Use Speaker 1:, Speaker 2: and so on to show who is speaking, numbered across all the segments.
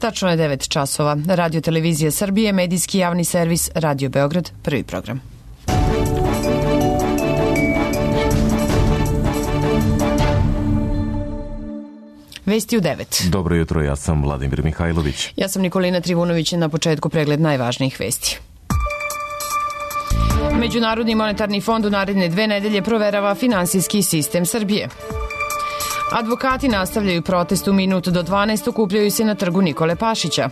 Speaker 1: Tačno je 9 časova. Radio Televizija Srbije, medijski javni servis Radio Beograd, prvi program. Vesti u 9.
Speaker 2: Dobro jutro, ja sam Vladimir Mihajlović.
Speaker 1: Ja sam Nikolina Trivunović, na početku pregled najvažnijih vesti. Međunarodni monetarni fond u naredne 2 nedelje proverava finansijski sistem Srbije. Advokati nastavljaju protest u minut do 12, okupljaju se na trgu Nikole Pašića.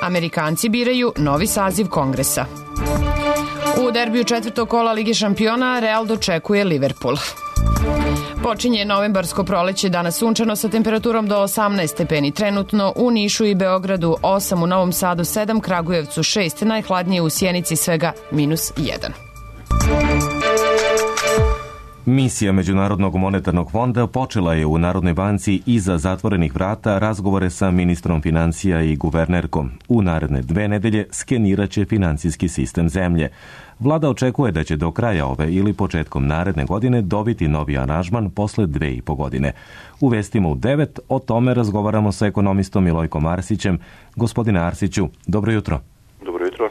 Speaker 1: Amerikanci biraju novi saziv Kongresa. U derbiju 4. kola Lige šampiona Real dočekuje Liverpool. Počinje novembarsko proleće, danas sunčano sa temperaturom do 18 stepeni. Trenutno u Nišu i Beogradu 8, u Novom Sadu 7, Kragujevcu 6, najhladnije u Sjenici svega -1.
Speaker 2: Misija Međunarodnog monetarnog fonda počela je u Narodnoj banci iza zatvorenih vrata razgovore sa ministrom financija i guvernerkom. U naredne 2 nedelje skeniraće finansijski sistem zemlje. Vlada očekuje da će do kraja ove ili početkom naredne godine dobiti novi aranžman posle 2,5 godine. U vestima u 9 o tome razgovaramo sa ekonomistom Milojkom Arsićem. Gospodine Arsiću, dobro jutro.
Speaker 3: Dobro jutro.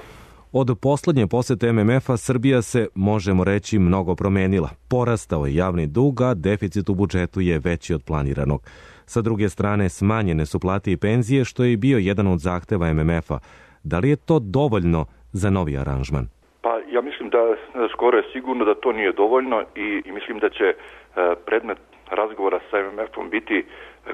Speaker 2: Od poslednje posete MMF-a Srbija se, možemo reći, mnogo promenila. Porastao je javni dug, a deficit u budžetu je veći od planiranog. Sa druge strane, smanjene su plate i penzije, što je bio jedan od zahteva MMF-a. Da li je to dovoljno za novi aranžman?
Speaker 3: Pa ja mislim da skoro je sigurno da to nije dovoljno i mislim da će predmet razgovora sa MMF-om biti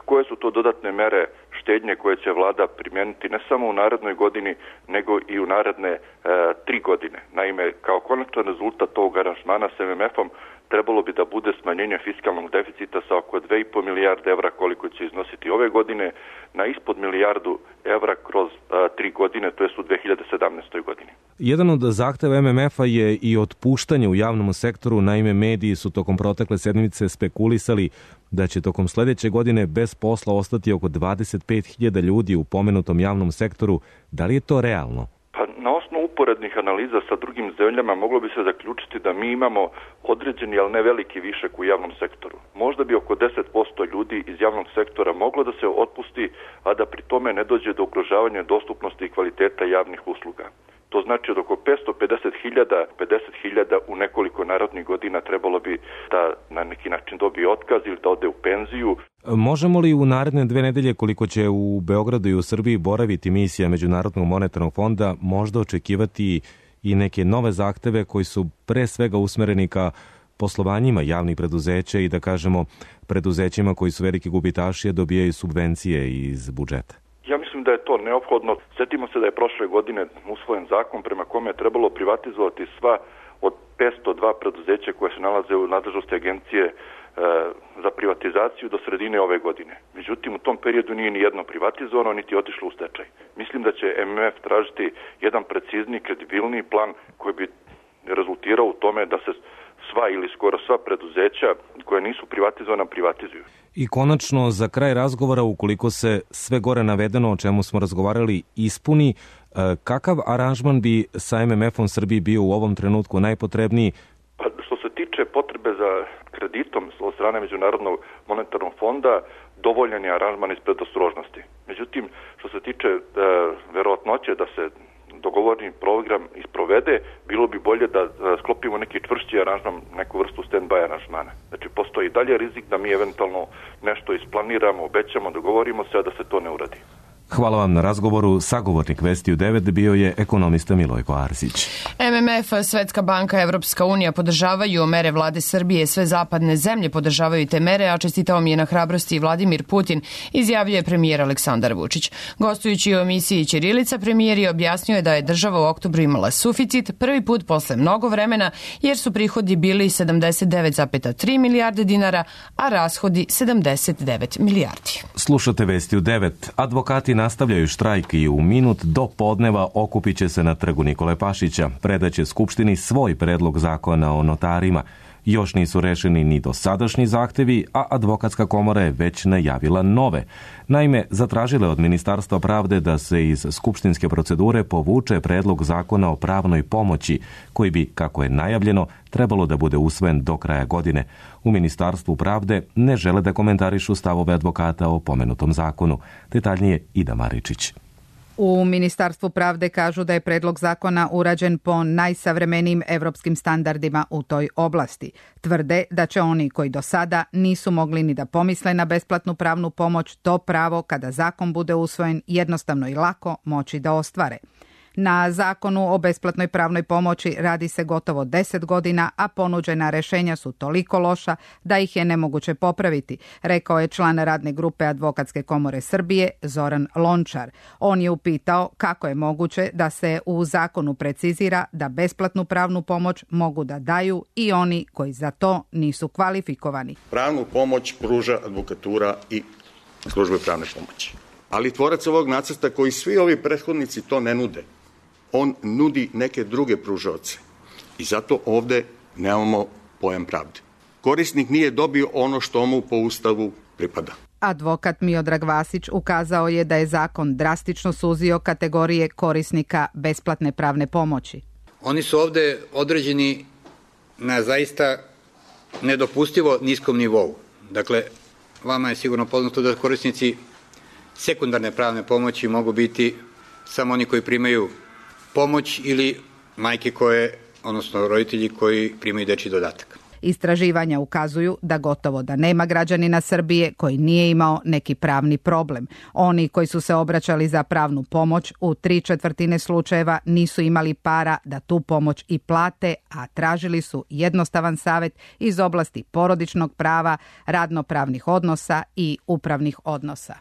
Speaker 3: koje su to dodatne mere štednje koje će vlada primijeniti ne samo u narednoj godini, nego i u naredne 3 godine. Naime, kao konačan rezultat tog aranžmana s MMF-om trebalo bi da bude smanjenje fiskalnog deficita sa oko 2,5 milijarde evra koliko će iznositi ove godine na ispod milijardu evra kroz 3 godine, to je u 2017. godini.
Speaker 2: Jedan od zahteva MMF-a je i otpuštanje u javnom sektoru. Naime, mediji su tokom protekle sedmice spekulisali da će tokom sledeće godine bez posla ostati oko 25.000 ljudi u pomenutom javnom sektoru. Da li je to realno?
Speaker 3: Pa na osnovu uporednih analiza sa drugim zemljama moglo bi se zaključiti da mi imamo određeni, ali ne veliki višak u javnom sektoru. Možda bi oko 10% ljudi iz javnog sektora moglo da se otpusti, a da pri tome ne dođe do ugrožavanja dostupnosti i kvaliteta javnih usluga. To znači od oko 50.000 u nekoliko narednih godina trebalo bi da na neki način dobije otkaz ili da ode u penziju.
Speaker 2: Možemo li u naredne 2 nedelje, koliko će u Beogradu i u Srbiji boraviti misija Međunarodnog monetarnog fonda, možda očekivati i neke nove zahteve koji su pre svega usmereni ka poslovanjima javnih preduzeća i da kažemo preduzećima koji su veliki gubitaši, a dobijaju subvencije iz budžeta?
Speaker 3: Ja mislim da je to neophodno. Sjetimo se da je prošle godine usvojen zakon prema kome je trebalo privatizovati sva od 502 preduzeća koje se nalaze u nadležnosti agencije za privatizaciju do sredine ove godine. Međutim, u tom periodu nije ni jedno privatizovano, niti otišlo u stečaj. Mislim da će MMF tražiti jedan precizniji, kredibilniji plan koji bi rezultirao u tome da se sva ili skoro sva preduzeća koje nisu privatizovana privatizuju.
Speaker 2: I konačno, za kraj razgovora, ukoliko se sve gore navedeno o čemu smo razgovarali ispuni, kakav aranžman bi sa MMF-om Srbiji bio u ovom trenutku najpotrebniji?
Speaker 3: Pa, što se tiče potrebe za kreditom od strane Međunarodnog monetarnog fonda, dovoljan je aranžman iz predostrožnosti. Međutim, što se tiče verovatnoće da se dogovorni program isprovede, bilo bi bolje da sklopimo neki čvršći aranžman, neku vrstu stand-by aranžmana. Znači, postoji dalje rizik da mi eventualno nešto isplaniramo, obećamo, dogovorimo se, a da se to ne uradi.
Speaker 2: Hvala vam na razgovoru. Sagovornik Vesti u 9 bio je ekonomista Milojko Arsić.
Speaker 1: MMF, Svetska banka, Evropska unija podržavaju mere vlade Srbije, sve zapadne zemlje podržavaju te mere, a čestitao mi je na hrabrosti Vladimir Putin, izjavljuje premijer Aleksandar Vučić. Gostujući u emisiji Ćirilica, premijer je objasnio da je država u oktobru imala suficit, prvi put posle mnogo vremena, jer su prihodi bili 79,3 milijarde dinara, a rashodi 79 milijardi.
Speaker 2: Slušate Vesti u 9. Advokati nastavljaju štrajk i u minut do podneva okupit će se na trgu Nikole Pašića. Predaće Skupštini svoj predlog zakona o notarima. Još nisu rešeni ni dosadašnji zahtevi, a advokatska komora je već najavila nove. Naime, zatražile od Ministarstva pravde da se iz skupštinske procedure povuče predlog zakona o pravnoj pomoći, koji bi, kako je najavljeno, trebalo da bude usvojen do kraja godine. U Ministarstvu pravde ne žele da komentarišu stavove advokata o pomenutom zakonu. Detaljnije Ida Maričić.
Speaker 4: U Ministarstvu pravde kažu da je predlog zakona urađen po najsavremenijim evropskim standardima u toj oblasti. Tvrde da će oni koji do sada nisu mogli ni da pomisle na besplatnu pravnu pomoć, to pravo kada zakon bude usvojen jednostavno i lako moći da ostvare. Na zakonu o besplatnoj pravnoj pomoći radi se gotovo 10 godina, a ponuđena rešenja su toliko loša da ih je nemoguće popraviti, rekao je član radne grupe Advokatske komore Srbije Zoran Lončar. On je upitao kako je moguće da se u zakonu precizira da besplatnu pravnu pomoć mogu da daju i oni koji za to nisu kvalifikovani.
Speaker 5: Pravnu pomoć pruža advokatura i službe pravne pomoći. Ali tvorac ovog nacrta, koji svi ovi prethodnici to ne nude, on nudi neke druge pružaoce i zato ovde nemamo pojam pravde. Korisnik nije dobio ono što mu po Ustavu pripada.
Speaker 4: Advokat Miodrag Vasić ukazao je da je zakon drastično suzio kategorije korisnika besplatne pravne pomoći.
Speaker 6: Oni su ovde određeni na zaista nedopustivo niskom nivou. Dakle, vama je sigurno poznato da korisnici sekundarne pravne pomoći mogu biti samo oni koji primaju pomoć ili majke odnosno roditelji koji primaju dečji dodatak.
Speaker 4: Istraživanja ukazuju da gotovo da nema građanina Srbije koji nije imao neki pravni problem. Oni koji su se obraćali za pravnu pomoć u 3/4 slučajeva nisu imali para da tu pomoć i plate, a tražili su jednostavan savet iz oblasti porodičnog prava, radnopravnih odnosa i upravnih odnosa.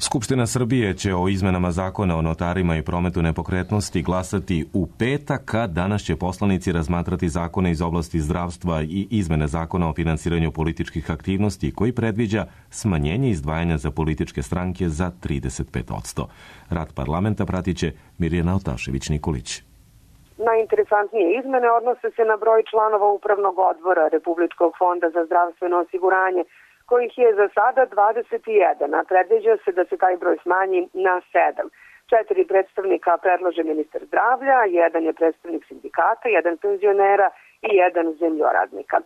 Speaker 2: Skupština Srbije će o izmenama zakona o notarima i prometu nepokretnosti glasati u petak, a danas će poslanici razmatrati zakone iz oblasti zdravstva i izmene zakona o finansiranju političkih aktivnosti, koji predviđa smanjenje izdvajanja za političke stranke za 35%. Rad parlamenta pratit će Mirjana Otašević-Nikolić.
Speaker 7: Najinteresantnije izmene odnose se na broj članova Upravnog odbora Republičkog fonda za zdravstveno osiguranje, kojih je za sada 21, a predviđa se da se taj broj smanji na 7. 4 predstavnika predlože ministar zdravlja, 1 je predstavnik sindikata, 1 penzionera i 1 zemljoradnika.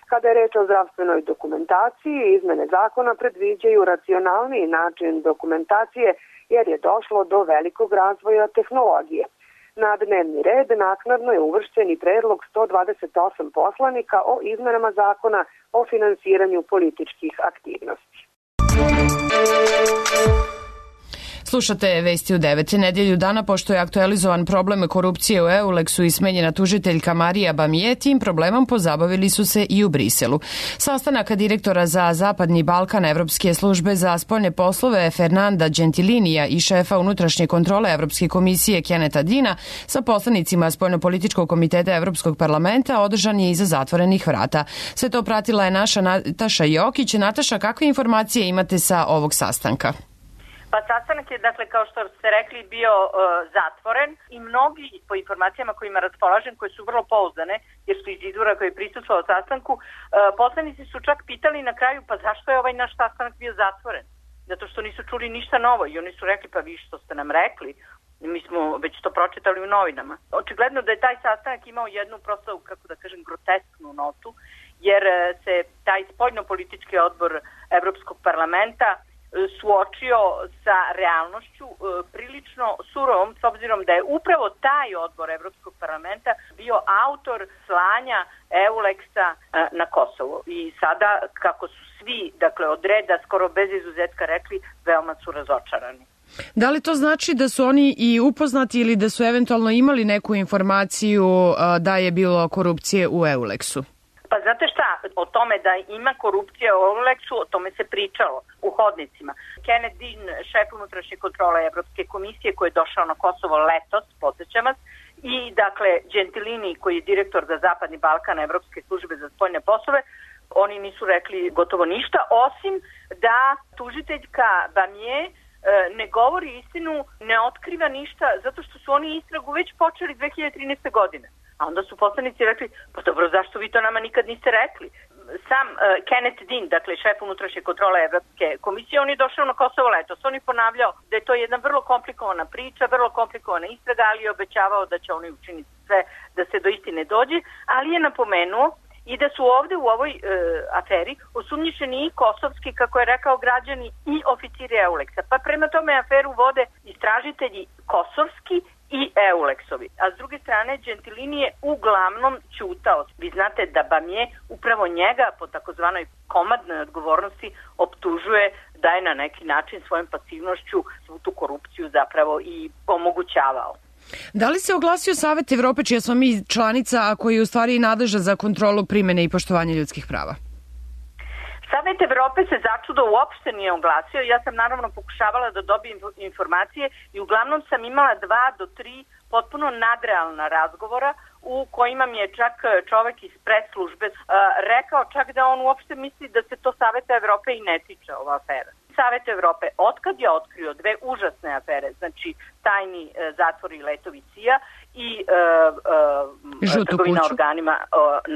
Speaker 7: Kada je reč o zdravstvenoj dokumentaciji, izmene zakona predviđaju racionalniji način dokumentacije jer je došlo do velikog razvoja tehnologije. Na dnevni red naknadno je uvršćen i predlog 128 poslanika o izmenama zakona o finansiranju političkih aktivnosti.
Speaker 1: Slušate Vesti u 9. Nedjelju dana, pošto je aktualizovan problem korupcije u Euleksu i smenjena tužiteljka Marija Bamije, tim problemom pozabavili su se i u Briselu. Sastanak direktora za Zapadni Balkan Evropske službe za spoljne poslove Fernanda Gentilinija i šefa unutrašnje kontrole Evropske komisije Keneta Dina sa poslanicima Spoljnopolitičkog komiteta Evropskog parlamenta održan je iza zatvorenih vrata. Sve to pratila je naša Nataša Jokić. Nataša, kakve informacije imate sa ovog sastanka?
Speaker 8: Pa sastanak je, dakle, kao što ste rekli, bio zatvoren i mnogi, po informacijama kojima raspolažem, koje su vrlo pouzdane, jer su iz izvora koji je prisustvovao sastanku, poslanici su čak pitali na kraju, pa zašto je ovaj naš sastanak bio zatvoren? Zato što nisu čuli ništa novo i oni su rekli, pa vi što ste nam rekli, mi smo već to pročitali u novinama. Očigledno da je taj sastanak imao jednu prosto, kako da kažem, grotesknu notu, jer se taj spoljnopolitički odbor Evropskog parlamenta suočio sa realnošću prilično surovom, s obzirom da je upravo taj odbor Evropskog parlamenta bio autor slanja Euleksa na Kosovo. I sada, kako su svi, dakle, od reda skoro bez izuzetka rekli, veoma su razočarani.
Speaker 1: Da li to znači da su oni i upoznati ili da su eventualno imali neku informaciju da je bilo korupcije u Euleksu?
Speaker 8: Pa znate šta, o tome da ima korupcija u Euleksu, o tome se pričalo u hodnicima. Kenneth Dean, šef unutrašnje kontrole Evropske komisije, koji je došao na Kosovo letos, podsjećam vas, i dakle Gentilini, koji je direktor za Zapadni Balkan Evropske službe za spoljne poslove, oni nisu rekli gotovo ništa, osim da tužiteljka Bamije ne govori istinu, ne otkriva ništa, zato što su oni istragu već počeli 2013. godine. A onda su poslanici rekli, pa dobro, zašto vi to nama nikad niste rekli? Sam Kenneth Dean, dakle šef unutrašnje kontrole Evropske komisije, on je došao na Kosovo letos. On je ponavljao da je to jedna vrlo komplikovana priča, vrlo komplikovana istraga, ali je obećavao da će oni učiniti sve da se do istine dođe, ali je napomenuo i da su ovde u ovoj aferi osumnjičeni i kosovski, kako je rekao, građani i oficiri EULEX-a. Pa prema tome aferu vode istražitelji kosovski i EULEX-ovi. A s druge strane, Gentilini je uglavnom ćutao. Vi znate da Bamje upravo njega po takozvanoj komadnoj odgovornosti optužuje da je na neki način svojom pasivnošću svu tu korupciju zapravo i omogućavao.
Speaker 1: Da li se oglasio Savet Evrope, čija smo mi članica, a koji je u stvari nadležan za kontrolu primene i poštovanje ljudskih prava?
Speaker 8: Savet Evrope se začudo uopšte nije oglasio. Ja sam naravno pokušavala da dobijem informacije i uglavnom sam imala 2 do 3 potpuno nadrealna razgovora u kojima mi je čak čovek iz press-službe rekao čak da on uopšte misli da se to Saveta Evrope i ne tiče ova afera. Savet Evrope, otkad je otkrio 2 užasne afere, znači tajni zatvor i letovi CIA i trgovina organima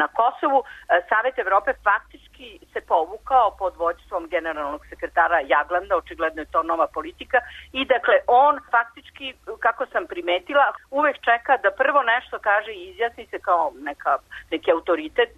Speaker 8: na Kosovu, Savet Evrope faktički se povukao pod vođstvom generalnog sekretara Jaglanda, očigledno je to nova politika, i dakle on faktički, kako sam primetila, uvek čeka da prvo nešto kaže i izjasni se kao neki autoritet,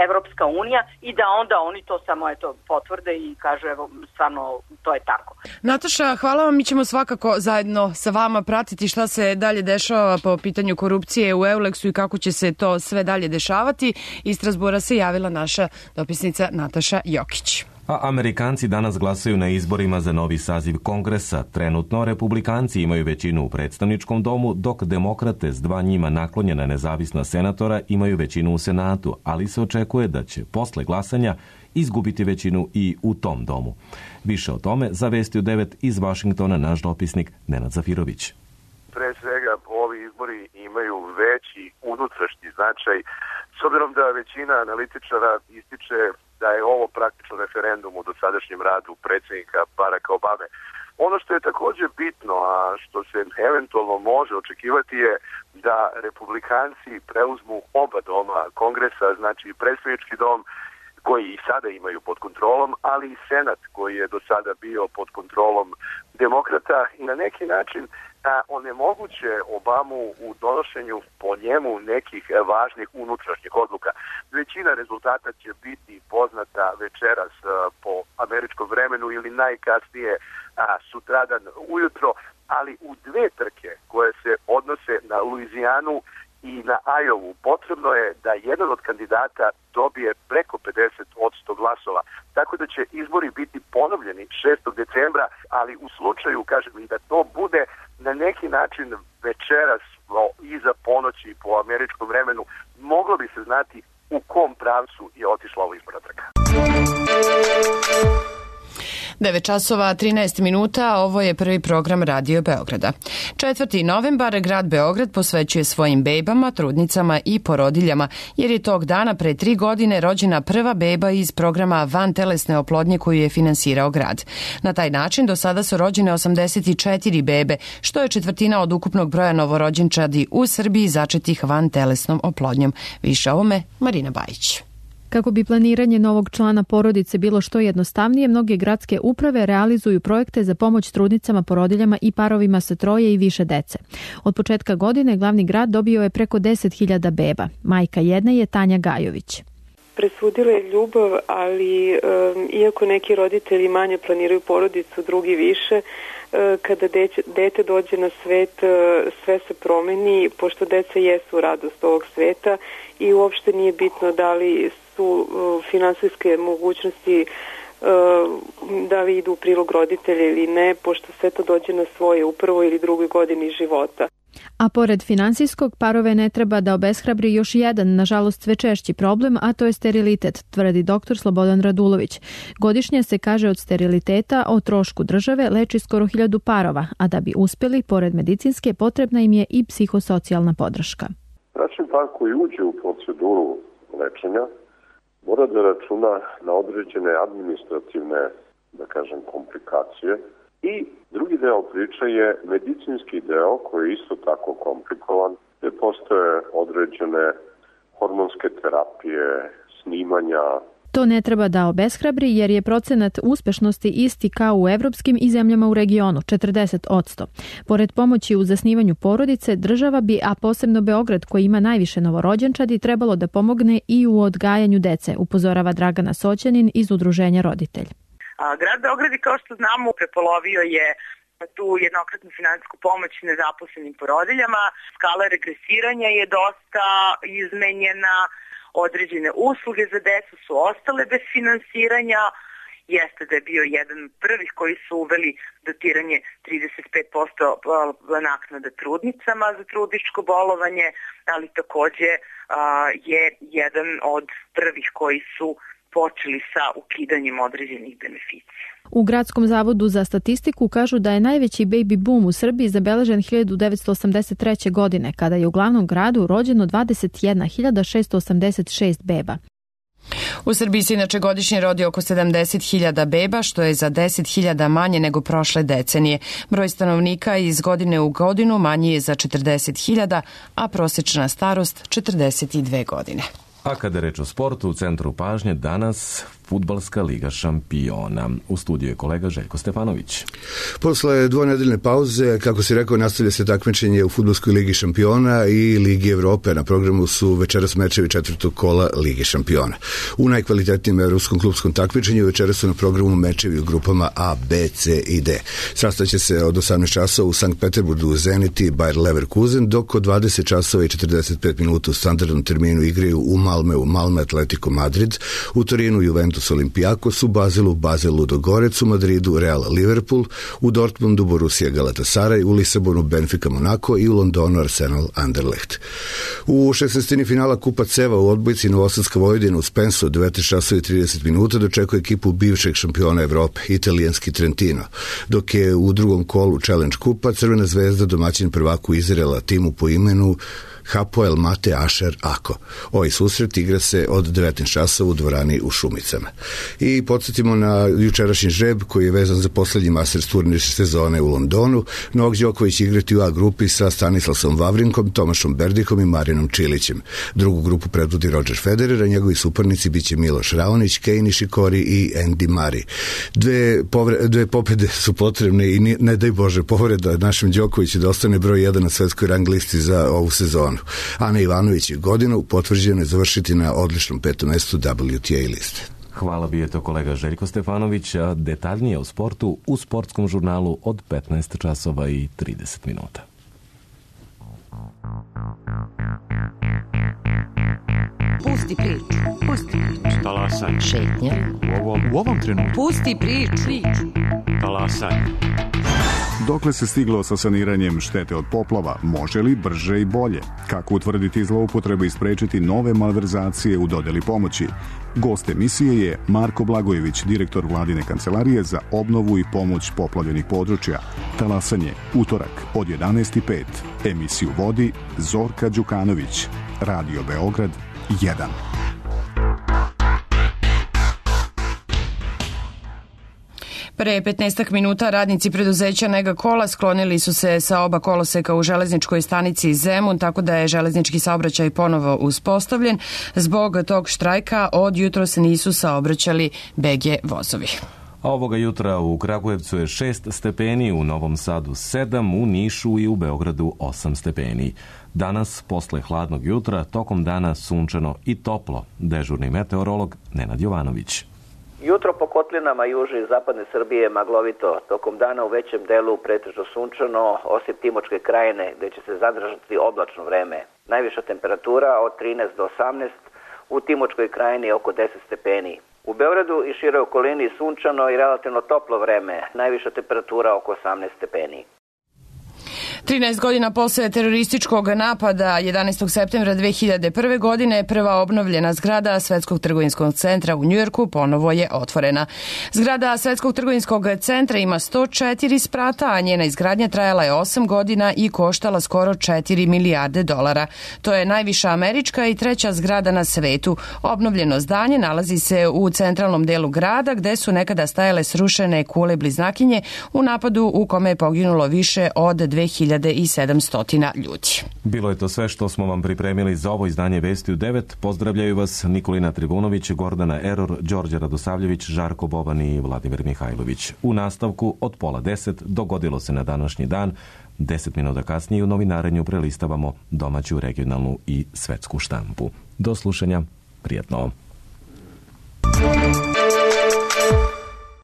Speaker 8: Evropska unija, i da onda oni to samo potvrde i kažu evo stvarno to je tako.
Speaker 1: Nataša, hvala vam, mi ćemo svakako zajedno sa vama pratiti šta se dalje dešava po pitanju korupcije u EULEX-u i kako će se to sve dalje dešavati. Iz Strasbura se javila naša dopisnica Nataša Jokić.
Speaker 2: A Amerikanci danas glasaju na izborima za novi saziv Kongresa. Trenutno Republikanci imaju većinu u predstavničkom domu, dok demokrate s 2 njima naklonjena nezavisna senatora imaju većinu u Senatu, ali se očekuje da će posle glasanja izgubiti većinu i u tom domu. Više o tome za Vesti u 9 iz Vašingtona naš dopisnik Nenad Zafirović.
Speaker 9: Pre svega, ovi izbori imaju veći unutrašnji značaj, s obzirom da većina analitičara ističe da je ovo praktično referendum u dosadašnjem radu predsjednika Baracka Obame. Ono što je također bitno, a što se eventualno može očekivati je da Republikanci preuzmu oba doma Kongresa, znači predstavnički dom koji i sada imaju pod kontrolom, ali i Senat koji je do sada bio pod kontrolom demokrata i na neki način onemoguće Obamu u donošenju po njemu nekih važnih unutrašnjih odluka. Većina rezultata će biti poznata večeras po američkom vremenu ili najkasnije sutradan ujutro, ali u 2 trke koje se odnose na Luizijanu i na Ajovu potrebno je da jedan od kandidata dobije preko 50% glasova. Tako da će izbori biti ponovljeni 6. decembra, ali u slučaju, kažem, i da to bude na neki način večeras iza ponoći po američkom vremenu, moglo bi se znati u kom pravcu je otišla ova izborna trka.
Speaker 1: 9 časova 13 minuta, ovo je prvi program Radio Beograda. 4. novembar grad Beograd posvećuje svojim bebama, trudnicama i porodiljama, jer je tog dana pre 3 godine rođena prva beba iz programa vantelesne oplodnje koju je finansirao grad. Na taj način do sada su rođene 84 bebe, što je 1/4 od ukupnog broja novorođenčadi u Srbiji začetih vantelesnom oplodnjom. Više o ovome Marina Bajić.
Speaker 10: Kako bi planiranje novog člana porodice bilo što jednostavnije, mnoge gradske uprave realizuju projekte za pomoć trudnicama, porodiljama i parovima sa 3 i više dece. Od početka godine glavni grad dobio je preko 10.000 beba. Majka jedne je Tanja Gajović.
Speaker 11: Presudila je ljubav, ali iako neki roditelji manje planiraju porodicu, drugi više, kada dete dođe na svet, sve se promeni, pošto deca jesu radost ovog sveta i uopšte nije bitno da li su finansijske mogućnosti da li idu u prilog roditelja ili ne, pošto sve to dođe na svoje u 1. ili 2. godini života.
Speaker 10: A pored finansijskog, parove ne treba da obeshrabri još jedan, nažalost sve češći problem, a to je sterilitet, tvrdi dr. Slobodan Radulović. Godišnje se, kaže, od steriliteta o trošku države leči skoro 1000 parova, a da bi uspjeli, pored medicinske, potrebna im je i psihosocijalna podrška.
Speaker 12: Bračni par koji uđe u proceduru lečenja mora da računa na određene administrativne, da kažem, komplikacije. I drugi deo priče je medicinski deo koji je isto tako komplikovan gde postoje određene hormonske terapije, snimanja.
Speaker 10: To ne treba da obeshrabri jer je procenat uspešnosti isti kao u evropskim i zemljama u regionu, 40%. Pored pomoći u zasnivanju porodice, država bi, a posebno Beograd koji ima najviše novorođenčadi, trebalo da pomogne i u odgajanju dece, upozorava Dragana Soćanin iz Udruženja Roditelj.
Speaker 13: Grad Beograd, kao što znamo, prepolovio je tu jednokratnu finansijsku pomoć nezaposlenim porodiljama. Skala regresiranja je dosta izmenjena, određene usluge za decu su ostale bez finansiranja. Jeste da je bio jedan prvih koji su uveli dotiranje 35% naknada trudnicama za trudničko bolovanje, ali takođe je jedan od prvih koji su počeli sa ukidanjem određenih beneficija.
Speaker 10: U Gradskom zavodu za statistiku kažu da je najveći baby boom u Srbiji zabeležen 1983. godine, kada je u glavnom gradu rođeno 21.686 beba.
Speaker 1: U Srbiji se inače godišnje rodi oko 70.000 beba, što je za 10.000 manje nego prošle decenije. Broj stanovnika iz godine u godinu manji je za 40.000, a prosječna starost 42 godine.
Speaker 2: A kada je reč o sportu, u centru pažnje danas Fudbalska liga šampiona. U studiju je kolega Željko Stefanović.
Speaker 14: Posle dvonedeljne pauze, kako si rekao, nastavlja se takmičenje u Fudbalskoj ligi šampiona i Ligi Evrope. Na programu su večeras mečevi četvrtog kola Lige šampiona. U najkvalitetnijem evropskom klubskom takmičenju večeras su na programu mečevi u grupama A, B, C i D. Sastaće se od 18 časova u Sankt Peterburgu Zenit i Bayer Leverkusen, dok od 20 časova i 45 minuta u standardnom terminu igraju u Malmeu Malme Atletico Madrid, u Torinu Juventus Olympiakos, u Bazelu Basel Ludogorec, u Madridu Real Liverpool, u Dortmundu Borussia Galatasaray, u Lisabonu Benfica Monaco i u Londonu Arsenal Anderlecht. U 16. finala Kupa Ceva u odbojci Novosadska Vojvodina u Spensu od 19 časova i 30 minuta dočekuje ekipu bivšeg šampiona Evrope, italijanski Trentino, dok je u drugom kolu Challenge Kupa Crvena zvezda domaćin prvaku Izraela timu po imenu Hapoel Mate Asher Ako. Ovaj susret igra se od 19 časova u dvorani u Šumicama. I podsjetimo na jučerašnji žreb koji je vezan za poslednji Masters turnir sezone u Londonu. Novak Đoković igrati u A grupi sa Stanislasom Vavrinkom, Tomašom Berdikom i Marinom Čilićem. Drugu grupu predvodi Roger Federer, a njegovi suparnici biće Miloš Raonić, Kei Nishikori i Andy Murray. Dve pobede su potrebne i ne daj Bože povreda našem Đokoviću da ostane broj 1 na svetskoj rang listi za ovu sezonu. Ana Ivanović je godinu potvrđeno je završiti na odličnom 5. mestu WTA liste.
Speaker 2: Hvala bi je to kolega Željko Stefanović, a detaljnije o sportu u sportskom žurnalu od 15 časova i 30 minuta.
Speaker 15: Pusti priču.
Speaker 16: Talasaj.
Speaker 15: Šetnja.
Speaker 16: U ovom trenutku.
Speaker 15: Pusti priču.
Speaker 16: Talasaj.
Speaker 17: Dokle se stiglo sa saniranjem štete od poplava, može li brže i bolje? Kako utvrditi zloupotrebe i sprečiti nove malverzacije u dodeli pomoći? Gost emisije je Marko Blagojević, direktor Vladine kancelarije za obnovu i pomoć poplavljenih područja. Talasanje, utorak od 11:05. Emisiju vodi Zorka Đukanović. Radio Beograd 1.
Speaker 1: Pre 15 minuta radnici preduzeća Nega Kola sklonili su se sa oba koloseka u železničkoj stanici Zemun, tako da je železnički saobraćaj ponovo uspostavljen. Zbog tog štrajka od jutros nisu saobraćali BG vozovi.
Speaker 2: A ovoga jutra u Kragujevcu je 6 stepeni, u Novom Sadu 7, u Nišu i u Beogradu 8 stepeni. Danas, posle hladnog jutra, tokom dana sunčano i toplo. Dežurni meteorolog Nenad Jovanović.
Speaker 18: Jutro po kotlinama južne i zapadne Srbije maglovito, tokom dana u većem delu pretežno sunčano, osim Timočke krajine gde će se zadržati oblačno vreme. Najviša temperatura od 13 do 18, u Timočkoj krajini oko 10 stepeni. U Beogradu i široj okolini sunčano i relativno toplo vreme, najviša temperatura oko 18 stepeni.
Speaker 1: 13 godina posle terorističkog napada 11. septembra 2001. godine prva obnovljena zgrada Svetskog trgovinskog centra u Njujorku ponovo je otvorena. Zgrada Svetskog trgovinskog centra ima 104 sprata, a njena izgradnja trajala je 8 godina i koštala skoro 4 milijarde dolara. To je najviša američka i treća zgrada na svetu. Obnovljeno zdanje nalazi se u centralnom delu grada gde su nekada stajale srušene kule bliznakinje u napadu u kome je poginulo više od 2000 2700 ljudi.
Speaker 2: Bilo je to sve što smo vam pripremili za ovo izdanje Vesti u 9. Pozdravljaju vas Nikolina Trivunović, Gordana Eror, Đorđe Radosavljević, Žarko Boban i Vladimir Mihajlović. U nastavku od 9:30 dogodilo se na današnji dan. 10 minuta kasnije u novinarenju prelistavamo domaću, regionalnu i svetsku štampu. Do slušanja, prijatno.